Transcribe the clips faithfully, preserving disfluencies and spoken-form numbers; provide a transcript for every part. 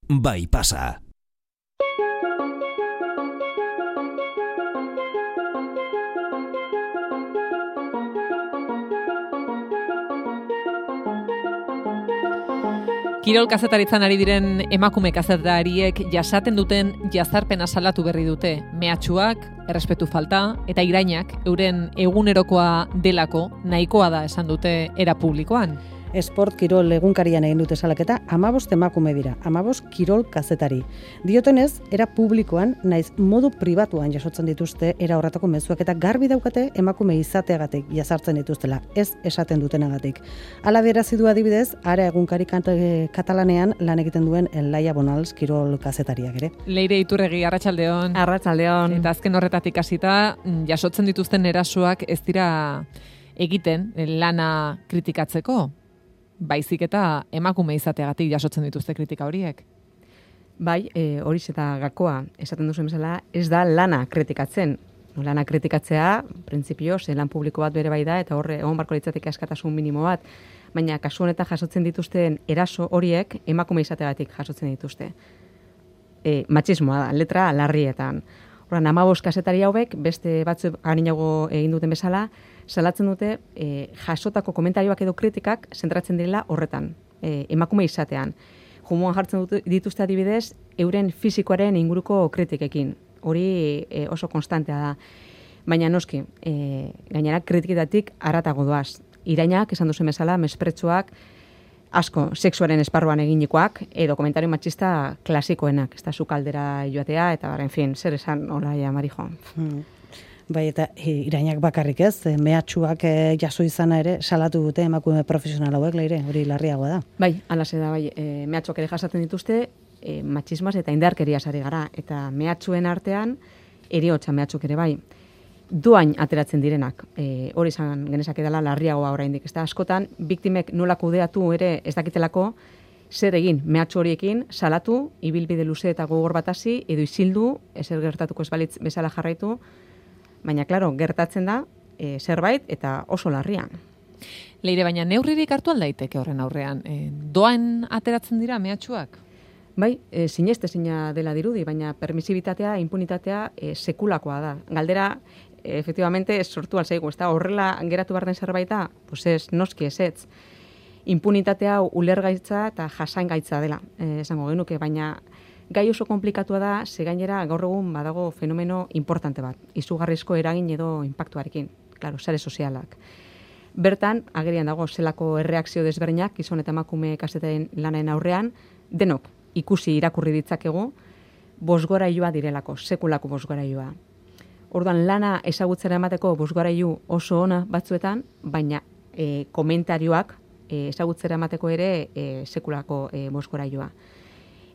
bai pasa. Kirol kazetaritzan ari diren emakume kazetariek jasaten duten jazarpena salatu berri dute. Mehatxuak, errespetu falta eta irainak euren egunerokoa delako nahikoa da esan dute era publikoan. Esport kirol egunkarian egin dute salaketa, hamabost emakume dira, hamabost kirol kazetari. Diotenez, era publikoan, naiz modu pribatuan jasotzen dituzte era horretako mezuak eta garbi daukate emakume izateagatik jazartzen dituztela, ez esaten dutenagatik. Hala adierazi du adibidez, Ara egunkari katalanean lan egiten duen Laia Bonals kirol kazetariak ere. Leire Iturregi, arratsaldeon. Arratsaldeon. Eta azken horretatik hasita jasotzen dituzten erasoak ez dira egiten lana kritikatzeko. Baizik eta emakume izateagatik jasotzen dituzte kritika horiek. Bai, e, horiz eta gakoa, esaten duzuen bezala, ez da lana kritikatzen. Lana kritikatzea, printzipio, ze lan publiko bat bere bai da, eta horre egon barko litzateke askatasun minimo bat, baina kasu honetan jasotzen dituzten eraso horiek emakume izateagatik jasotzen dituzte. E, matxismoa da, letra larrietan. Horren, hamabost kazetari hauek, beste batzu arinago egin duten bezala, salatzen dute e, jasotako komentarioak edo kritikak zentratzen direla horretan, e, emakume izatean. Jumuan jartzen dut, dituzte adibidez, euren fisikoaren inguruko kritikekin. Hori e, oso konstantea da. Baina noski, e, gainera kritiketatik haratago doaz. Irainak, esan duzen bezala, mespretsuak, asko, sexuaren esparruan eginikoak, edo komentario matxista klasikoenak, ez da sukaldera joatea, eta en fin, zer esan, hola, ja, Marijo. Hmm. Bai, eta irainak bakarrik ez, mehatxuak e, jaso izana ere salatu dute emakume profesional hauek, Leire, hori larriagoa da. Bai, alase da, bai, e, mehatxuak ere jasaten dituzte, e, matxismaz eta indarkeriaz ari gara, eta mehatxuen artean, eriotza mehatxuk ere bai. Doain ateratzen direnak, e, hori izan genezake dela larriagoa oraindik, ez da askotan, biktimek nola kudeatu ere ez dakitelako, zer egin mehatxu horiekin, salatu, ibilbide luze eta gogor bat hasi, edo isildu, ezer gertatuko ez balitz bezala jarraitu, baina, klaro, gertatzen da e, zerbait eta oso larrian. Leire, baina neurririk hartu aldaiteke horren aurrean. E, doan ateratzen dira mehatxuak? Bai, e, sineste zina dela dirudi, baina permisibitatea, impunitatea e, sekulakoa da. Galdera, e, efectivamente, sortu alzaigu, ez da, horrela geratu behar den zerbait da, pues ez, noski ez ez. Impunitatea ulergaitza eta jasangaitza dela, e, esango genuke, baina gai oso komplikatua da, ze gainera gaur egun badago fenomeno importante bat, izugarrizko eragin edo inpaktuarekin, claro, sare sozialak. Bertan, agerian dago zelako erreakzio desberdinak, gizon eta emakume kazetaren lanaren aurrean, denok ikusi irakurri ditzakegu, bosgorailua direlako, sekulako bosgorailua. Orduan, lana ezagutzera emateko bosgorailu oso ona batzuetan, baina e, komentarioak e, ezagutzera emateko ere e, sekulako e, bosgorailua.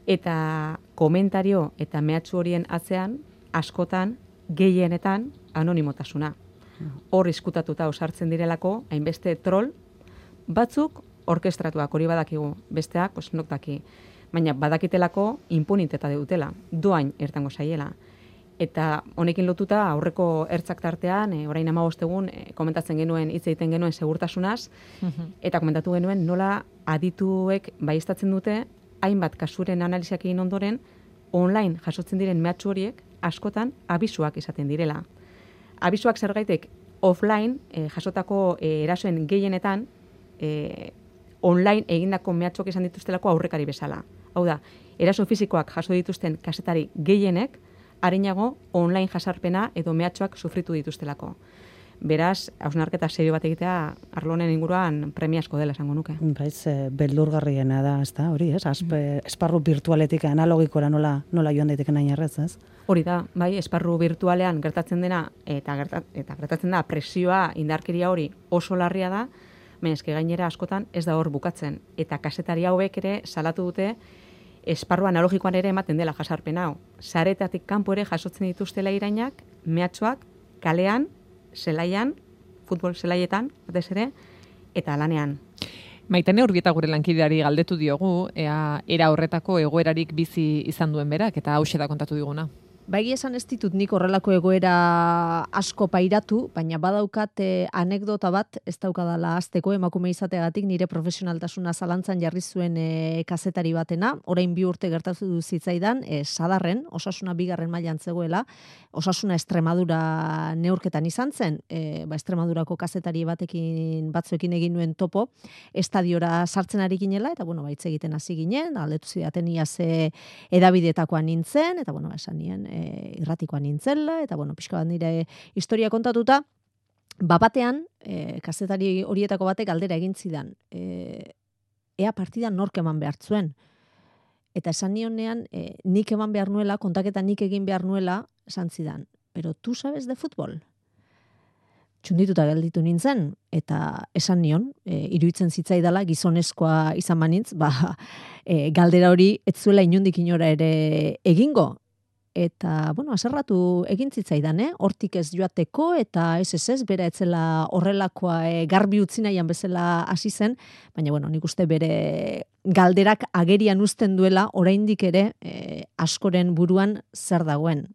Eta komentario eta mehatxu horien atzean, askotan, gehienetan, anonimotasuna. Hor izkutatuta osartzen direlako, hainbeste troll, batzuk orkestratuak hori badakigu, besteak osnok daki. Baina badakitelako impuniteta dutela, doain ertango zaiela. Eta honekin lotuta aurreko ertzak tartean, e, orain hamabost egun, e, komentatzen genuen, hitz egiten genuen segurtasunaz, uh-huh. eta komentatu genuen nola adituek baieztatzen dute, hainbat kasuren analiziak egin ondoren, online jasotzen diren mehatxu horiek askotan abisuak izaten direla. Abisuak zergaitek offline e, jasotako e, erasoen gehienetan e, online egindako mehatxuak izan dituztelako aurrekari bezala. Hau da, eraso fisikoak jaso dituzten kazetari gehienek, arinago online jasarpena edo mehatxuak sufritu dituztelako. Beraz, hausnarketa serio bat egitea arlonen inguruan premiazko dela esango nuke. Baiz, beldurgarriena da, ez da, hori, ez? Aspe, esparru virtualetik analogikora nola, nola joan daiteke nahi errez, ez? Hori da, bai, esparru virtualean gertatzen dena, eta, gertat, eta gertatzen da presioa, indarkeria hori oso larria da, baina eske gainera askotan ez da hor bukatzen. Eta kazetari hauek ere salatu dute esparru analogikoan ere ematen dela jasarpen hau. Saretatik kanpo ere jasotzen dituztela irainak, mehatxuak, kalean, zelaian, futbol zelaietan, batez ere, eta lanean. Maitane Urbieta gure lankideari galdetu diogu, ea era horretako egoerarik bizi izan duen berak, eta hauxe da kontatu diguna. Bai esan ez ditut nik horrelako egoera asko pairatu, baina badaukat eh, anekdota bat, ez daukadala azteko emakume izateagatik nire profesionaltasuna zalantzan jarri zuen eh, kazetari batena, orain bi urte gertatu du zitzaidan, eh, Sadarren, Osasuna bigarren mailan zegoela, Osasuna Extremadura neurketan izan zen, eh, ba Extremadurako kazetari batekin batzuekin egin nuen topo, estadiora sartzen ari ginela, eta bueno, baitz egiten hasi ginen, aldetu zidaten ia ze edabidetakoa nintzen, eta bueno, esan nien, E, irratikoa nintzela, eta bueno, pixka bat nire historia kontatuta, bapatean, e, kazetari horietako batek galdera egin zidan, e, ea partidan nork eman behar zuen. Eta esan nionean, e, nik eman behar nuela, kontaketa nik egin behar nuela, esan zidan, pero tu sabes de futbol? Txundituta gelditu nintzen, eta esan nion, e, iruditzen zitzaidala, gizonezkoa izan banintz, ba, e, galdera hori ez zuela inondik inora ere egingo. Eta, bueno, aserratu egin zitzaidan, eh? Hortik ez joateko, eta ez ez ez, bera etzela horrelakoa e, garbi utzi nahian bezala hasi zen, baina, bueno, nik uste bere galderak agerian uzten duela, oraindik ere e, askoren buruan zer dagoen.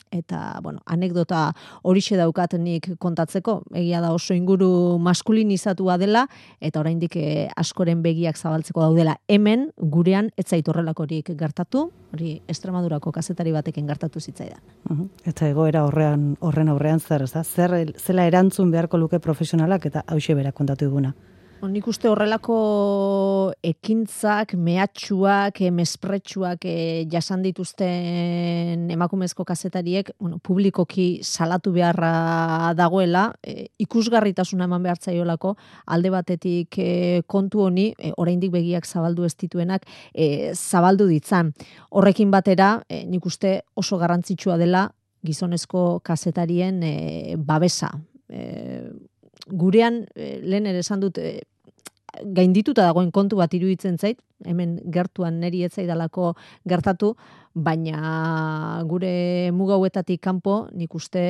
Eta, bueno, anekdota horixe daukat nik kontatzeko, egia da oso inguru maskulinizatua dela, eta oraindik eh, askoren begiak zabaltzeko daudela. Hemen, gurean, ez zait horrelakorik gertatu, hori Extremadurako kazetari batekin gertatu zitzaidan. Uh-huh. Eta egoera horrean, horren aurrean zer, ez da? Zer, zela erantzun beharko luke profesionalak, eta hauxe berak kontatu diguna. Nik uste horrelako ekintzak, mehatxuak, mespretxuak e, jasan dituzten emakumezko kazetariek, bueno, publikoki salatu beharra dagoela, e, ikusgarritasuna eman behar zaiolako, alde batetik e, kontu honi, e, oraindik begiak zabaldu ez dituenak, e, zabaldu ditzan. Horrekin batera, e, nik uste oso garrantzitsua dela gizonezko kazetarien e, babesa. E, Gurean, lehen ere esan dut, e, gaindituta dagoen kontu bat iruditzen zait, hemen gertuan neri ez zaidalako gertatu, baina gure mugauetatik kanpo nik uste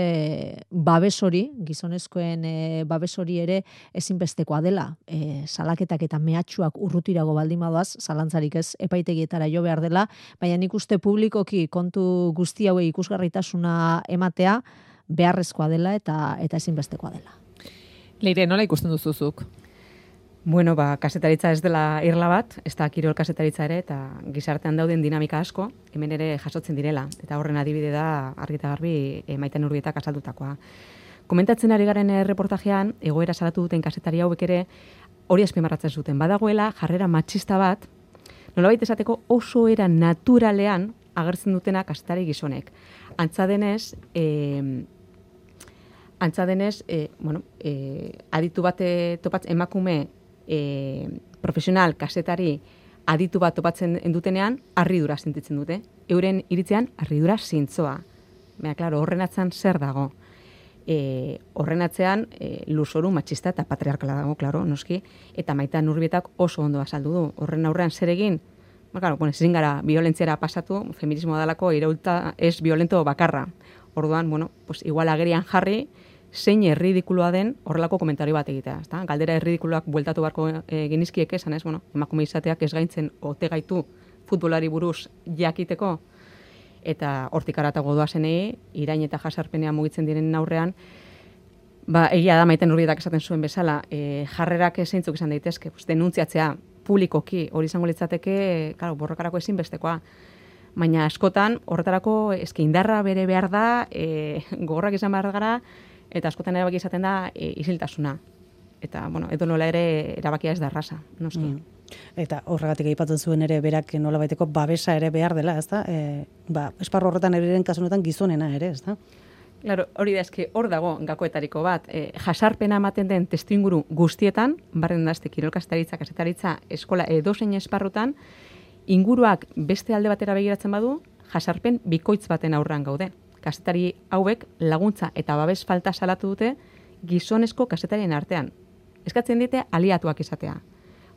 babes hori, gizonezkoen e, babes hori ere ezinbestekoa dela. E, salaketak eta mehatxuak urrutirago baldin badoaz, zalantzarik ez epaitegietara jo behar dela, baina nik uste publikoki kontu guzti hauei ikusgarritasuna ematea beharrezkoa dela eta eta ezinbestekoa dela. Leire, nola ikusten duzuzuk? Bueno, ba, kasetaritza ez dela irla bat, ez da kirol kasetaritza ere, eta gizartean dauden dinamika asko, hemen ere jasotzen direla, eta horren adibide da argita garbi e, Maiten Urbietak azaldutakoa. Komentatzen ari garen erreportajean, egoera salatu duten kasetari hauek ere, hori azpimarratzen zuten, badagoela jarrera matxista bat, nolabait esateko oso era naturalean agertzen dutena kasetari gizonek. Antza denez, eh, Antza denez, e, bueno, e, aditu bate topatzen emakume e, profesional kasetari aditu bat topatzen dutenean harridura sentitzen dute. Euren iritzean harridura zintzoa. Baina, klaro, horren atzean zer dago? E, horren atzean e, lurzoru matxista eta patriarkala dago, klaro, noski, eta Maiten Urbietak oso ondo azaldu du. Horren aurrean zer egin? Ba, klaro, bueno, ezin gara violentziara pasatu, feminismoa dalako iraulta ez violento bakarra. Orduan, bueno, pues igual agerian jarri, zein erridikuloa den horrelako komentario bat egitea. Ezta? Galdera erridikuloak bueltatu beharko e, genizkiek esan ez, bueno, emakume izateak ez gaintzen ote gaitu futbolari buruz jakiteko, eta hortik haratago doazenei, irain eta jasarpenean mugitzen direnen aurrean, ba, egia da Maiten Urbietak esaten zuen bezala, e, jarrerak zeintzuk izan daitezke, pues, denuntziatzea publikoki, hori izango litzateke, claro, borrokarako ezinbestekoa. Baina askotan, horretarako eske indarra bere behar da, e, gogorrak izan behar gara, eta askotan erabaki izaten da e, isiltasuna. Eta, bueno, edo nola ere erabakia ez da erraza, noski. Mm. Eta horregatik aipatzen zuen ere berak nolabaiteko babesa ere behar dela, ezta? E, ba, esparru horretan eriren kasunetan gizonena ere, ezta? Claro, hori da, eske hor dago gakoetariko bat. E, jasarpena ematen den testuinguru guztietan, barren da, este kirol kasetaritza, kasetaritza, eskola edozein esparrutan, inguruak beste alde batera begiratzen badu, jasarpen bikoitz baten aurrean gaude. Kazetari hauek laguntza eta babes falta salatu dute gizonezko kazetarien artean. Eskatzen diete aliatuak izatea.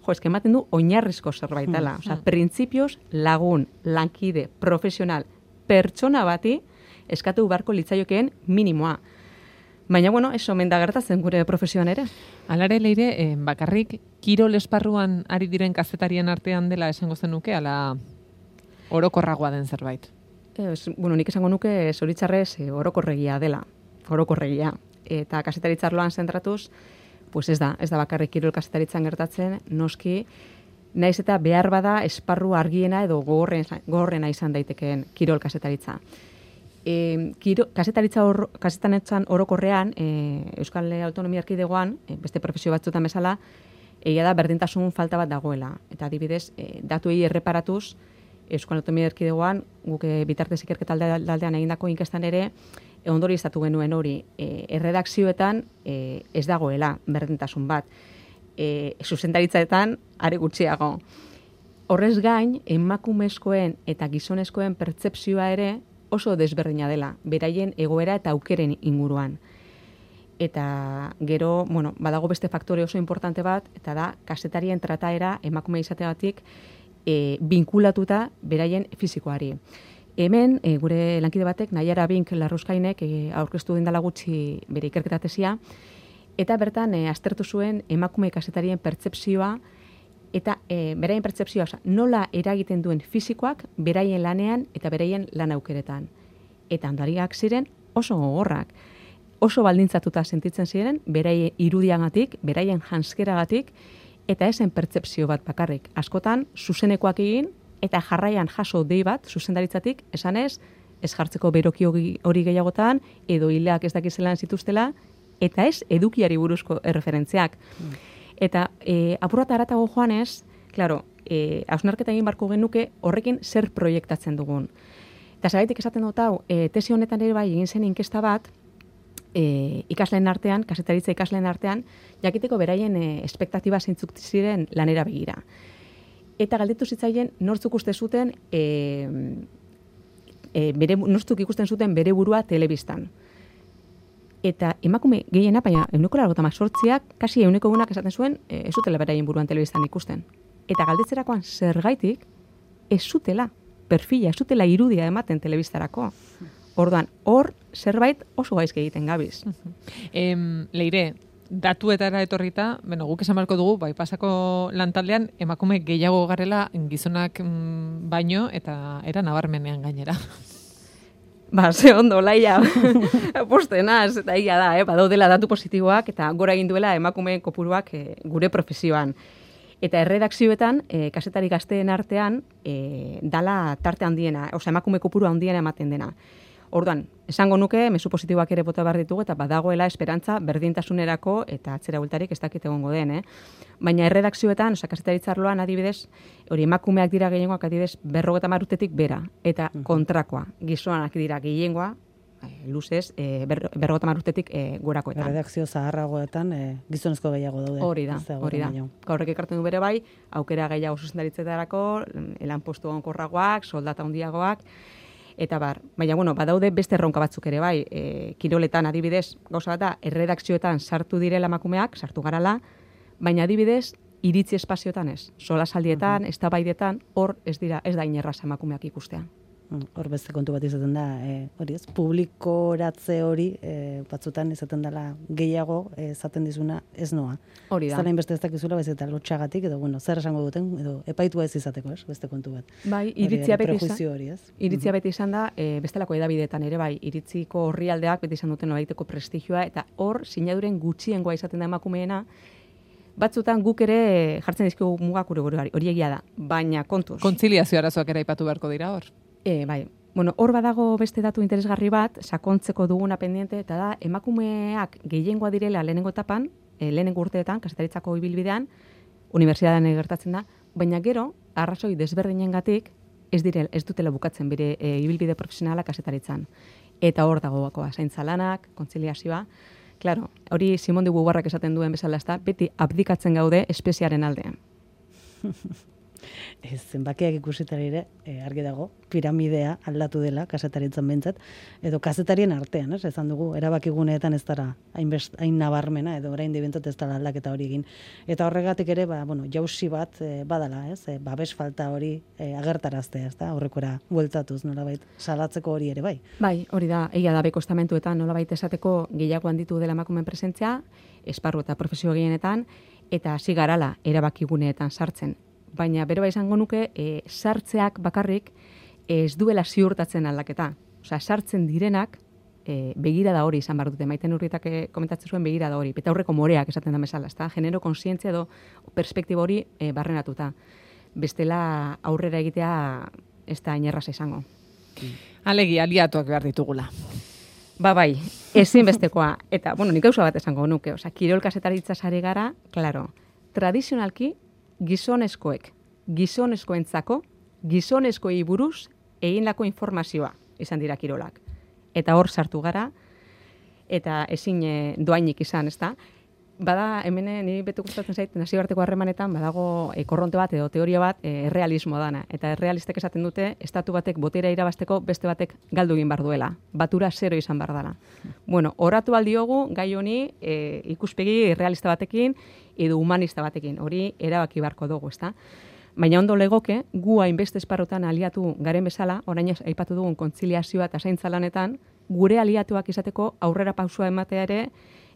Jo, eske ematen du oinarrizko zerbait dela. Osea, printzipioz lagun, lankide, profesional, pertsona bati eskatu beharko litzaiokeen minimoa. Baina, bueno, eso omen da gertatzen gure profesioan ere. Alare, Leire, eh, bakarrik kirol esparruan ari diren kazetarien artean dela esango zenuke, ala orokorragoa den zerbait? Ez, bueno, nik esango nuke zoritzarrez e, orokorregia dela, orokorregia. Eta kazetaritzarloan zentratuz, pues ez da, ez da bakarrik kirol kazetaritzan gertatzen, noski, naiz eta behar bada esparru argiena edo gogorrena, gogorrena izan daitekeen kirol kazetaritza. E, kiro, kazetaritza or, kazetaritzan orokorrean, e, Euskal Autonomia Erkidegoan, e, beste profesio batzutan bezala, egia da berdintasun falta bat dagoela. Eta adibidez, e, datuei erreparatuz, Euskal Autonomia Erkidegoan, guk e, bitartez ikerketa aldean egindako inkestan ere, e, ondori izatu genuen hori, e, erredakzioetan e, ez dagoela berdintasun bat. E, zuzendaritzaetan are gutxiago. Horrez gain, emakumezkoen eta gizonezkoen pertzepzioa ere oso desberdina dela, beraien egoera eta aukeren inguruan. Eta gero, bueno, badago beste faktore oso importante bat, eta da, kazetarien trataera emakume izateagatik e, binkulatuta beraien fizikoari. Hemen, e, gure lankide batek, Naiara Bink Larruskainek e, aurkeztu dindala gutxi bere ikerketa tesia, eta bertan e, aztertu zuen emakume kazetarien pertzepzioa, eta e, beraien pertzepzioa, oza, nola eragiten duen fizikoak beraien lanean eta beraien lan aukeretan. Eta ondariak ziren oso gogorrak. Oso baldintzatuta sentitzen ziren, beraien irudiagatik, beraien janskeragatik, eta esen pertzepzio bat bakarrik. Askotan, zuzenekoak egin, eta jarraian jaso dei bat, zuzendaritzatik, esanez, ez jartzeko beroki hori gehiagotan, edo hileak ez dakizelan zituztela, eta ez edukiari buruzko erreferentziak. Mm. Eta e, apurat aratago joanez, klaro, e, hausnarketa egin barko genuke horrekin zer proiektatzen dugun. Eta zeraitik esaten dut hau, e, tesi honetan ere bai egin zen inkesta bat, E, ikasleen artean, kazetaritza ikasleen artean, jakiteko beraien e, espektatiba zeintzuk ziren lanera begira. Eta galdetu zitzaien nortzuk uste zuten, e, e, bere, nortzuk ikusten zuten bere burua telebistan. Eta emakume gehiena, baina euneko largota sortziak, kasi euneko egunak esaten zuen, e, ez zutela beraien buruan telebistan ikusten. Eta galdetzerakoan zergaitik, ez zutela perfila, ez zutela irudia ematen telebistarako. Orduan, hor zerbait oso gaizke egiten gabiz. Em, Leire, datuetara etorrita, bueno, guk esan barko dugu, bai pasako lantaldean emakume gehiago garela gizonak mm, baino eta era nabarmenean gainera. Ba, ze ondo, laia, postenaz, eta ia da, eh? Badaudela datu positiboak eta gora egin duela emakumeen kopuruak eh, gure profesioan. Eta erredakzioetan, e, kazetari gazteen artean, e, dala tarte handiena, osea emakume kopuru handiena ematen dena. Orduan, esango nuke, mezu positiboak ere bota behar ditugu, eta badagoela esperantza berdintasunerako eta atzera bultarik ez dakit egongo den, eh? Baina erredakzioetan, osea, kazetaritzarloan adibidez, hori emakumeak dira gehiengoak adibidez berrogeta marutetik bera, eta kontrakoa, gizonak dira gehiengoa, luzez, e, ber, berrogeta marutetik e, gorakoetan. Redakzio zaharragoetan e, gizonezko gehiago daude. Hori da, hori da. Gaurrek ekartzen du bere bai, aukera gehiago zuzendaritzetarako, elan postu onkorragoak, soldata handiagoak, eta bar, baina, bueno, badaude beste erronka batzuk ere bai, e, kiroletan adibidez, gauza bat da, erredakzioetan sartu direla emakumeak, sartu garala, baina adibidez, iritzi espazioetan ez. Solasaldietan, uh-huh. eztabaidetan, hor ez dira, ez da inerraz emakumeak ikustea. Hor beste kontu bat izaten da, e, hori ez, publikoratze hori e, batzutan izaten dela gehiago esaten dizuna ez noa. Hori da. Zalain beste ez dakizula, bez eta lotxagatik, edo bueno, zer esango duten, edo epaitua ez izateko, ez, beste kontu bat. Bai, iritzia beti izan, hori, ez? Iritzia beti izan da, e, bestelako edabideetan ere bai, iritziko orrialdeak beti izan duten noraiteko prestigioa, eta hor sinaduren gutxiengoa izaten da emakumeena, batzutan guk ere jartzen dizkigu mugak gure hori egia da, baina kontuz. Kontziliazio arazoak ere aipatu beharko dira hor. E, bai, bueno, hor badago beste datu interesgarri bat, sakontzeko duguna pendiente, eta da, emakumeak gehiengoa direla lehenengo etapan, e, lehenengo urteetan, kazetaritzako ibilbidean, unibertsitatean gertatzen da, baina gero, arrazoi desberdinengatik, ez direl, ez dutela bukatzen bere e, ibilbide profesionala kazetaritzan. Eta hor dago bakoa, zaintza lanak, kontziliazioa, claro, hori Simon de Beauvoirrek esaten duen bezala ez da, beti abdikatzen gaude espeziaren aldean. Ez, zenbakiak ikusitari ere, e, argi dago, piramidea aldatu dela, kazetaritzan bentzat, edo kazetarien artean, ez, ezan dugu, erabakiguneetan ez dara hain, best, hain nabarmena, edo orain dibentzat ez dara aldaketa hori egin. Eta horregatik ere, ba, bueno, jausi bat e, badala, ez, e, babes falta hori e, agertaraztea, ez da, horrekora bueltatuz, nolabait, salatzeko hori ere, bai. Bai, hori da, egia da beko estamentuetan nolabait esateko gehiago handitu dela emakumeen presentzia, esparru eta profesio gehienetan, eta hasi garala erabakiguneetan sartzen. Baina bero bai izango nuke, e, sartzeak bakarrik ez duela ziurtatzen aldaketa. Osea, sartzen direnak, e, begirada hori izan behar dute. Maiten Urrietak komentatzen zuen begirada hori. Eta aurreko moreak esaten da bezala, ezta? Genero konsientzia edo perspektiba hori e, barrenatuta. Bestela aurrera egitea ez da inerraz izango. Alegi, aliatuak behar ditugula. Ba bai, ezinbestekoa. Eta, bueno, nik gauza bat esango nuke. Osea, kirol kazetaritza sare gara, claro, tradizionalki gizonezkoek, gizonezkoentzako, gizonezkoei buruz egindako informazioa izan dira kirolak. Eta hor sartu gara, eta ezin e, doainik izan, ezta? Bada, hemen niri bete gustatzen zait, nazioarteko harremanetan, badago e, korronte bat edo teoria bat e, errealismo dana. Eta errealistek esaten dute, estatu batek botera irabasteko beste batek galdu egin bar duela. Batura zero izan bar dela. Bueno, oratu aldiogu, gai honi e, ikuspegi realista batekin edo humanista batekin. Hori erabaki barko dugu, ezta? Baina ondo legoke, gu hainbeste esparrutan aliatu garen bezala, orain aipatu dugun kontziliazioa eta zaintza lanetan, gure aliatuak izateko aurrera pausua ematea ere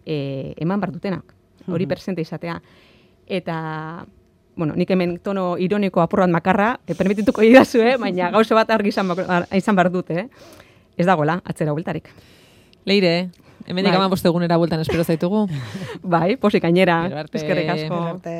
e, eman bar dutenak. Hori presente izatea. Eta, bueno, nik hemen tono ironiko apur bat makarra, e, permitituko idazu, eh? Baina gauza bat argi izan, izan bar dute, eh? Ez dagoela, atzera bueltarik. Leire, hemen bai. Ikaman bostegunera bueltan espero zaitugu. Bai, posik gainera. Eskerrik asko. Arte.